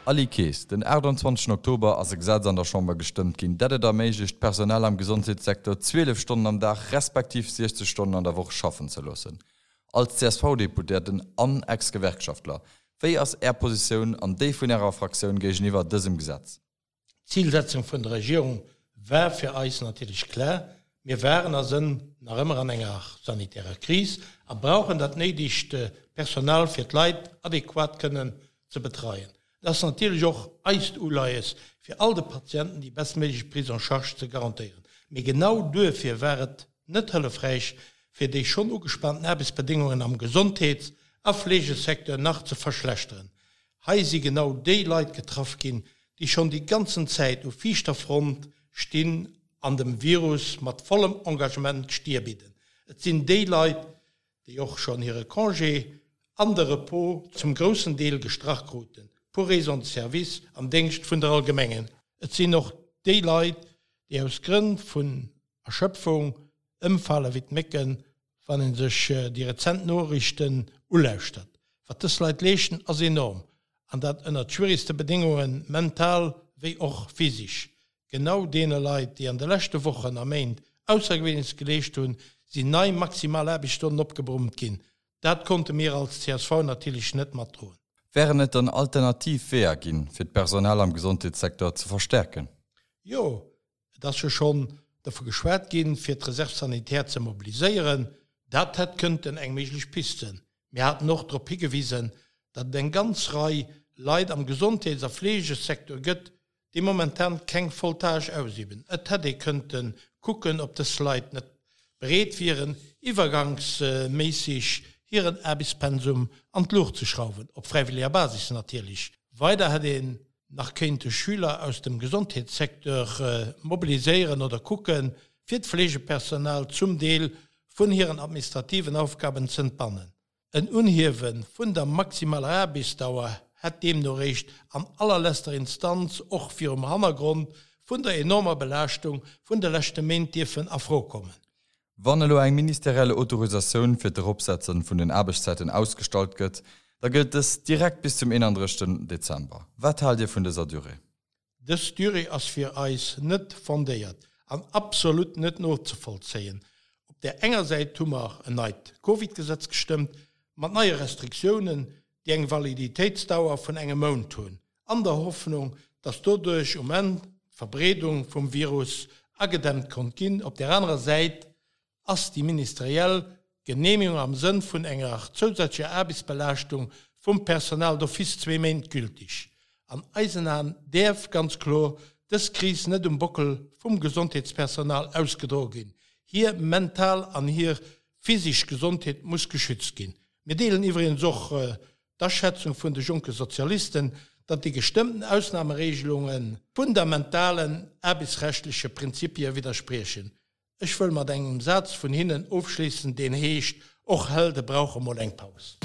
Aly Kaes, Den 28 Oktober ass e Gesetz an der Chamber gestëmmt ginn, dat et erméiglecht, d'Personal am Gesondheetssecteur 12 Stonnen am Dag respektiv 60 Stonnen an der Woch schaffen ze loossen. Als CSV-Deputéierten an Ex-Gewerkschaftler, wéi ass Är Positioun an déi vun Ärer Fraktioun géigeniwwer dësem Gesetz? D'Zilsetzung vun der Regierung war fir eis natierlech klar, Mir waren a sënn nach ëmmer an enger sanitärer Kris a brauchen dat néidegt Personal, fir d'Leit adequat kënnen ze betreien. Et ass natierlech och eist Uleies, fir all de Patienten déi bestméiglech Prise en charge ze garantéieren. Mee genau duerfir war et net hëllefräich, fir déi schonn ugespaanten Aarbechtsbedéngungen am Gesondheets a Fleegesecteur nach ze verschlechteren. Hei si genau déi Leit getraff ginn, déi schonn déi ganzen Zäit u viischter Front stinn an dem Virus mat vollem Engagement d'Stier bidden. Et sinn déi Leit, déi och schonn hire Congé an de Repos zum groussen Deel gestrach kruten, pour raison de service am Déngscht vun der Allgemengheet. Et sinn och déi Leit, déi aus Grënn vun Erschöpfung ëmfale wéi d'Mécken, wann ee sech déi rezent Noriichten ulauschtert. Wat dës Leit leeschten, ass enorm, an dat ënnert schwierigste Bedéngungen, mental wéi och physisch. Genau deene Leit, déi an de leschte Wochen a Méint Aussergewéinleches geleescht hunn, sinn nei maximal Aarbechtsstonnen opgebrummt ginn. Dat konnte mir als csv natierlech net matdroen. Wären et dann alternativ Weeër ginn, fir d'Personal am Gesondheetssecteur ze verstärken? Jo, Et ass jo schonn dovu geschwat ginn, fir d'Reserve sanitaire ze mobiliséieren. Dat hätt kënnten eng méiglech Pist sinn. Mir haten och drop higewisen, datt et eng ganz Rei Leit am Gesondheets a Fleegesecteur gëtt, déi momentan keng voll Tâche ausüben. Et hätt ee kënnte kucken, ob dës Leit net bereet wieren, iwwergangsméisseg hiren Aarbechtspensum an d'Luucht ze schrauwen, op fräiwëlleger Basis natierlech. Weider hätt een nach kéinte Schüler aus dem Gesondheetssecteur mobiliséieren oder kucken, fir d'Fleegepersonal zum Deel vun hiren administrativen Aufgaben z'entbannen. En Unhiewe vun der maximaler Aarbechtsdauer hätt deemno réischt an allerlester Instanz och virum Hannergrond vun der enormer Belaaschtung vun de leschte Méint dierfen a Fro kommen. Wann elo eng ministerielle Autorisatioun fir d'Eropsetzen vun den Aarbechtszäiten ausgestallt gëtt, da gëllt dës direkt bis zum 31 Dezember. Wat haalt Dir vun dëser Durée? Dës Durée ass fir eis net fondéiert an absolut net nozevollzéien. Op där enger Säit hu mer en neit Covid-Gesetz gestëmmt, mat neie Restriktiounen, déi eng Validitéitsdauer vun engem Mount hunn, an der Hoffnung, dass doduerch um Enn d'Verbreedung vum Virus agedämmt konnt ginn. Op där anerer Säit ass déi ministeriell Geneemegung am Sënn vun enger zousätzlecher Aarbechtsbelaaschtung vum Personal d'office zwee Méint gültig. An eisen Aen däerf ganz kloer dës Kris net um Bockel vum Gesondheetspersonal ausgedroe ginn. Hir mental an hir physisch Gesondheet muss geschützt ginn. Mir deelen iwwregens och d'Aschätzung vun de jonke Sozialisten, datt déi gestëmmten Ausnahmeregelunge fundamentalen aarbechtsrechtleche Prinzipie widderspriechen. Ech wëll mat engem Saz vun hinnen ofschléissen, deen heescht, Och Helde brauche mol eng Paus.